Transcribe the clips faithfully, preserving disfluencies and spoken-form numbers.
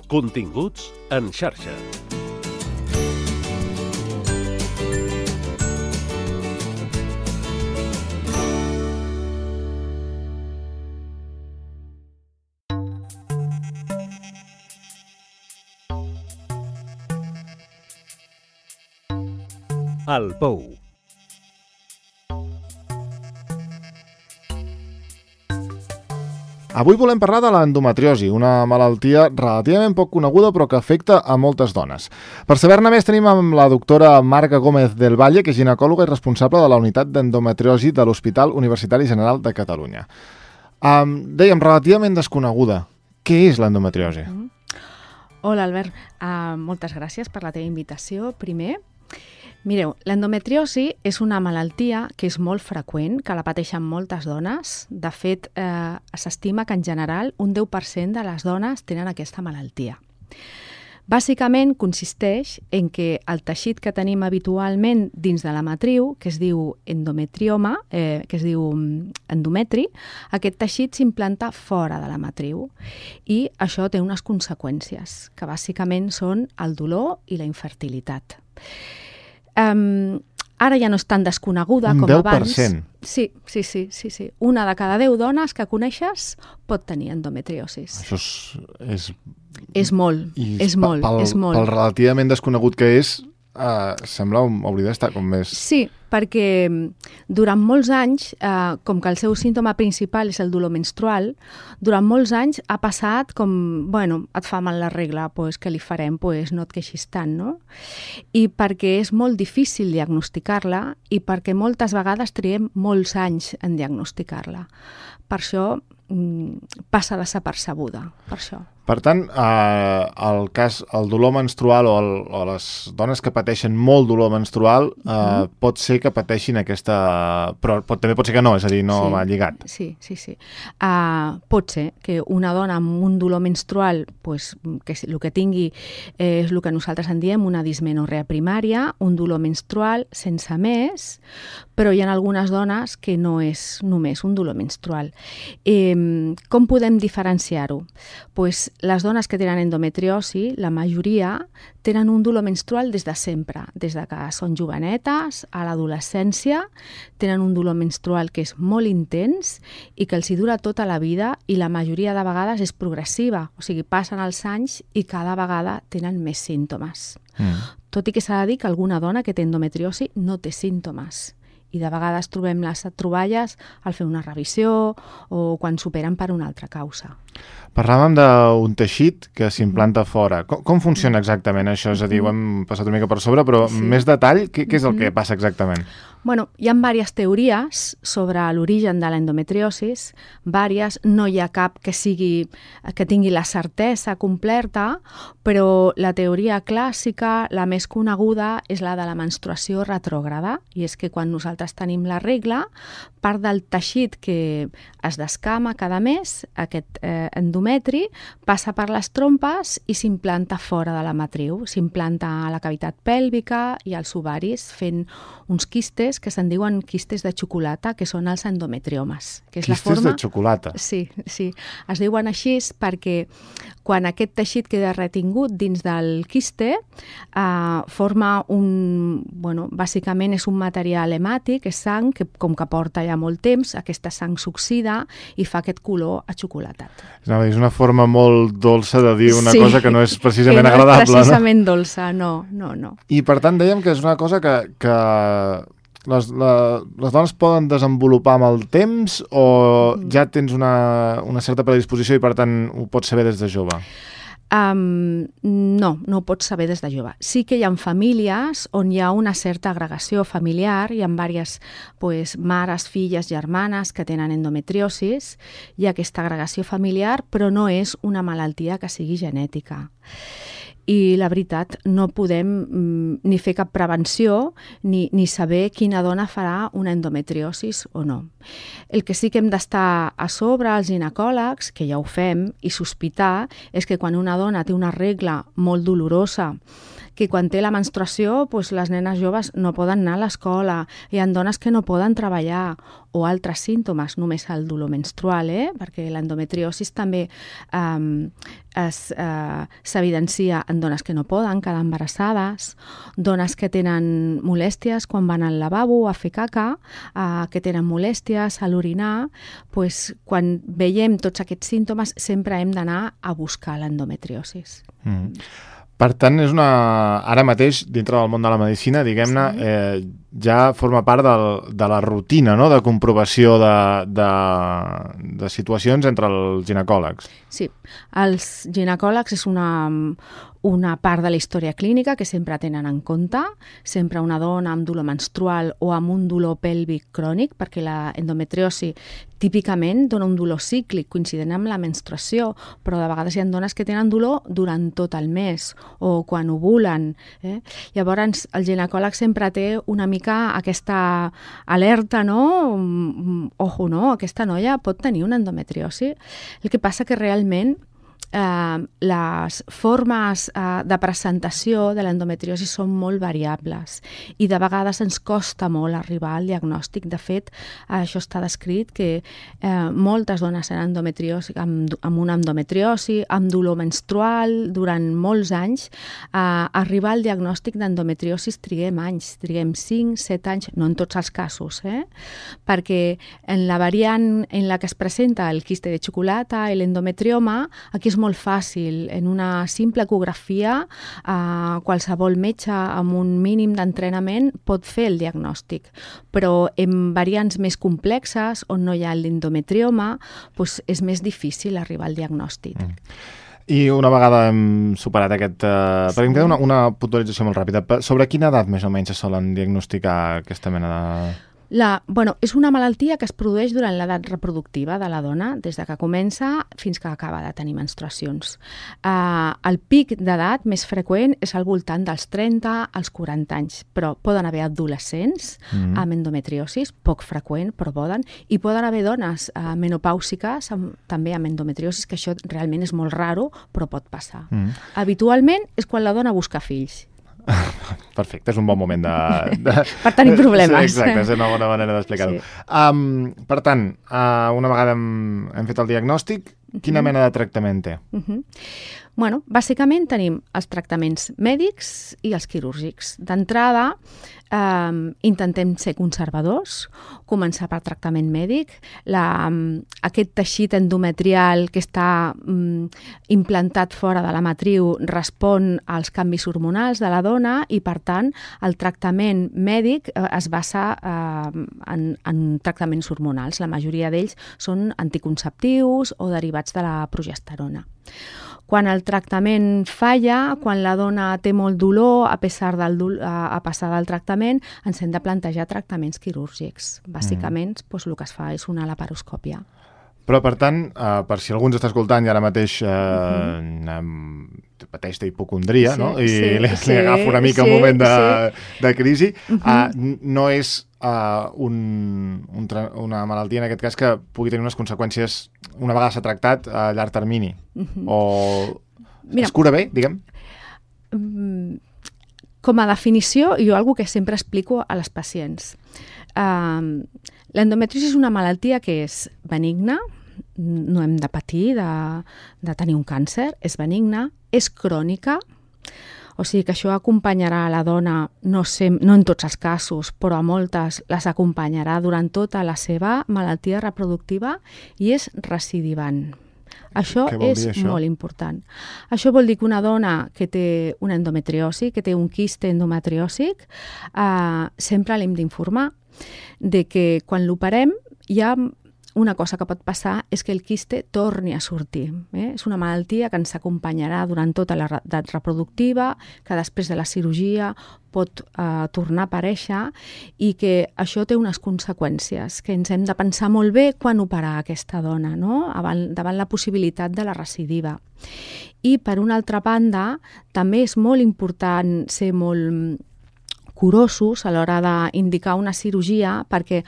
Continguts en xarxa. El Pou. Avui volem parlar de l'endometriosi, una malaltia relativament poc coneguda però que afecta a moltes dones. Per saber-ne més tenim amb la doctora Marga Gómez del Valle, que és ginecòloga i responsable de la unitat d'endometriosi de l'Hospital Universitari General de Catalunya. Um, dèiem, relativament desconeguda. Què és l'endometriosi? Mm. Hola, Albert. Uh, moltes gràcies per la teva invitació, primer. Mireu, l'endometriosi és una malaltia que és molt freqüent, que la pateixen moltes dones. De fet, eh, s'estima que en general un deu per cent de les dones tenen aquesta malaltia. Bàsicament consisteix en que el teixit que tenim habitualment dins de la matriu, que es diu endometrioma, eh, que es diu endometri, aquest teixit s'implanta fora de la matriu i això té unes conseqüències, que bàsicament són el dolor i la infertilitat. Um, ara ja no és tan desconeguda un com deu abans. per cent? Sí, sí, sí, sí, sí. Una de cada deu dones que coneixes pot tenir endometriosis. Això és... És, és molt, I és molt, pel, és molt. Pel relativament desconegut que és, uh, sembla hauria d'estar com més... Sí, perquè durant molts anys, eh, com que el seu símptoma principal és el dolor menstrual, durant molts anys ha passat com, bueno, et fa mal la regla, pues, què li farem? Pues, no et queixis tant, no? I perquè és molt difícil diagnosticar-la i perquè moltes vegades triem molts anys en diagnosticar-la. Per això mm, passa desapercebuda, per això. Per tant, eh, el cas, el dolor menstrual o, el, o les dones que pateixen molt dolor menstrual eh, mm. pot ser que pateixin aquesta... Però pot, també pot ser que no, és a dir, no sí, va lligat. Sí, sí, sí. Uh, pot ser que una dona amb un dolor menstrual, pues, que el que tingui eh, és el que nosaltres en diem una dismenorrea primària, un dolor menstrual sense més, però hi ha algunes dones que no és només un dolor menstrual. Eh, com podem diferenciar-ho? Pues, les dones que tenen endometriosi, la majoria, tenen un dolor menstrual des de sempre, des de que són jovenetes, a l'adolescència, tenen un dolor menstrual que és molt intens i que els hi dura tota la vida i la majoria de vegades és progressiva, o sigui, passen els anys i cada vegada tenen més símptomes. Mm. Tot i que s'ha de dir que alguna dona que té endometriosi no té símptomes. I de vegades trobem les troballes al fer una revisió o quan s'operen per una altra causa. Parlàvem d'un teixit que s'implanta mm. fora. Com, com funciona exactament això? És a dir, ho hem passat una mica per sobre, però sí. més detall, què, què és el que passa exactament? Bueno, hi ha diverses teories sobre l'origen de l'endometriosis, diverses, no hi ha cap que sigui, que tingui la certesa completa, però la teoria clàssica, la més coneguda, és la de la menstruació retrògrada, i és que quan nosaltres tenim la regla, part del teixit que es descama cada mes, aquest eh, endometri, passa per les trompes i s'implanta fora de la matriu, s'implanta a la cavitat pèlvica i als ovaris, fent uns quistes que se'n diuen quistes de xocolata, que són els endometriomes. Que és quistes la forma... de xocolata? Sí, sí. Es diuen així perquè quan aquest teixit queda retingut dins del quiste, eh, forma un... Bueno, bàsicament és un material hemàtic, és sang, que com que porta ja molt temps, aquesta sang s'oxida i fa aquest color achocolatat. No, és una forma molt dolça de dir una sí, cosa que no és precisament que no agradable. és precisament no? dolça, no, no, no. I per tant dèiem que és una cosa que, que les, la, les dones poden desenvolupar amb el temps o mm. ja tens una, una certa predisposició i per tant ho pots saber des de jove? Um, no, no ho pots saber des de jove. Sí que hi ha famílies on hi ha una certa agregació familiar, hi ha diverses pues, mares, filles, germanes que tenen endometriosis, hi ha aquesta agregació familiar, però no és una malaltia que sigui genètica. I la veritat, no podem mm, ni fer cap prevenció ni, ni saber quina dona farà una endometriosis o no. El que sí que hem d'estar a sobre, els ginecòlegs, que ja ho fem, i sospitar, és que quan una dona té una regla molt dolorosa, que quan té la menstruació doncs les nenes joves no poden anar a l'escola, hi ha dones que no poden treballar, o altres símptomes, només el dolor menstrual, eh? Perquè l'endometriosis també um, s'evidencia en dones que no poden quedar embarassades, dones que tenen molèsties quan van al lavabo a fer caca, uh, que tenen molèsties a l'orinar, pues, quan veiem tots aquests símptomes sempre hem d'anar a buscar l'endometriosis. Mm. Per tant, és una... ara mateix, dintre del món de la medicina, diguem-ne, sí. eh, ja forma part del, de la rutina, no?, de comprovació de, de, de situacions entre els ginecòlegs. Sí, els ginecòlegs és una, una part de la història clínica que sempre tenen en compte, sempre una dona amb dolor menstrual o amb un dolor pèlvic crònic, perquè la endometriosi típicament dona un dolor cíclic coincident amb la menstruació, però de vegades hi ha dones que tenen dolor durant tot el mes o quan ovulen. Eh? Llavors, el ginecòleg sempre té una mica aquesta alerta, no? Ojo, no? Aquesta noia pot tenir una endometriosi. El que passa que realment Eh, les formes eh, de presentació de l'endometriosi són molt variables i de vegades ens costa molt arribar al diagnòstic. De fet, eh, això està descrit que eh, moltes dones amb endometriosi, amb, amb una endometriosi, amb dolor menstrual, durant molts anys, eh, arribar al diagnòstic d'endometriosis triguem anys, triguem cinc set anys, no en tots els casos, eh? Perquè en la variant en la que es presenta el quiste de xocolata i l'endometrioma, aquí és molt fàcil. En una simple ecografia, eh, qualsevol metge amb un mínim d'entrenament pot fer el diagnòstic. Però en variants més complexes, on no hi ha l'endometrioma, doncs és més difícil arribar al diagnòstic. Mm. I una vegada hem superat aquest... Eh, sí. Perquè em queda una, una puntualització molt ràpida. Sobre quina edat més o menys se solen diagnosticar aquesta mena de... La, bueno, és una malaltia que es produeix durant l'edat reproductiva de la dona, des de que comença fins que acaba de tenir menstruacions. Uh, el pic d'edat més freqüent és al voltant dels trenta als quaranta anys, però poden haver adolescents mm-hmm. amb endometriosis, poc freqüent, però poden, i poden haver dones uh, menopàusiques amb, també amb endometriosis, que això realment és molt raro, però pot passar. Mm. Habitualment és quan la dona busca fills. Perfecte, és un bon moment de... de... per tenir problemes. Sí, exacte, és una bona manera d'explicar-ho. Sí. Um, per tant, uh, una vegada hem, hem fet el diagnòstic, quina uh-huh. mena de tractament té? Uh-huh. Bueno, bàsicament tenim els tractaments mèdics i els quirúrgics. D'entrada, eh, intentem ser conservadors, començar per tractament mèdic. La, aquest teixit endometrial que està mm, implantat fora de la matriu respon als canvis hormonals de la dona i, per tant, el tractament mèdic eh, es basa eh, en, en tractaments hormonals. La majoria d'ells són anticonceptius o derivats de la progesterona. Quan el tractament falla, quan la dona té molt dolor, a pesar del dolor, a, a passar del tractament, ens hem de plantejar tractaments quirúrgics. Bàsicament, mm. doncs, el que es fa és una laparoscòpia. Però, per tant, eh, per si algú ens està escoltant i ara mateix eh, mm-hmm. pateix d'hipocondria, sí, no? I sí, li, sí, li agafa una mica sí, un moment de, sí. de crisi, Mm-hmm. eh, no és eh, un, un tra- una malaltia, en aquest cas, que pugui tenir unes conseqüències, una vegada s'ha tractat, a llarg termini. Mm-hmm. O Mira, es cura bé, diguem? Com a definició, jo algo que sempre explico a les pacients. Uh, L'endometriosi és una malaltia que és benigna, no hem de patir de, de tenir un càncer, és benigna, és crònica, o sigui que això acompanyarà a la dona, no, sé, no en tots els casos, però a moltes les acompanyarà durant tota la seva malaltia reproductiva i és recidivant. Això és dir, això? molt important. Això vol dir que una dona que té una endometriosi, que té un quiste endometriòsic, eh, sempre l'hem d'informar de que quan l'operem hi ha una cosa que pot passar és que el quiste torni a sortir. Eh? És una malaltia que ens acompanyarà durant tota l'edat reproductiva, que després de la cirurgia pot eh, tornar a aparèixer i que això té unes conseqüències que ens hem de pensar molt bé quan operar aquesta dona, no? Davant, davant la possibilitat de la recidiva. I, per una altra banda, també és molt important ser molt curosos a l'hora d'indicar una cirurgia perquè,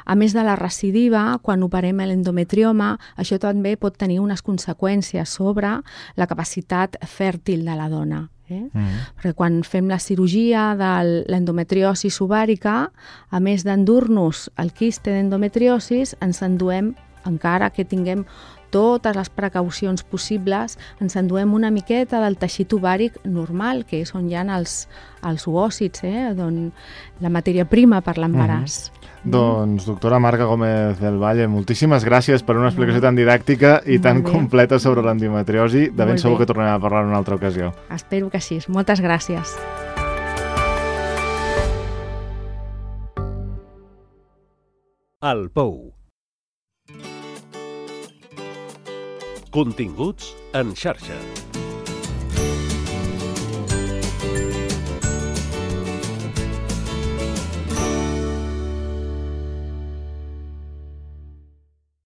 a més de la recidiva, quan operem l'endometrioma, això també pot tenir unes conseqüències sobre la capacitat fèrtil de la dona. Eh? Mm. Perquè quan fem la cirurgia de l'endometriosis ovàrica, a més d'endur-nos el quiste d'endometriosis, ens enduem, encara que tinguem totes les precaucions possibles, ens enduem una miqueta del teixit ovàric normal, que és on hi ha els, els oòcits, eh? Don, la matèria prima per l'embaràs. Mm-hmm. Doncs, doctora Marga Gómez del Valle, moltíssimes gràcies per una explicació tan didàctica i tan completa sobre l'endometriosi. De ben segur que tornem a parlar en una altra ocasió. Espero que sí. Moltes gràcies. El Pou. Continguts en xarxa.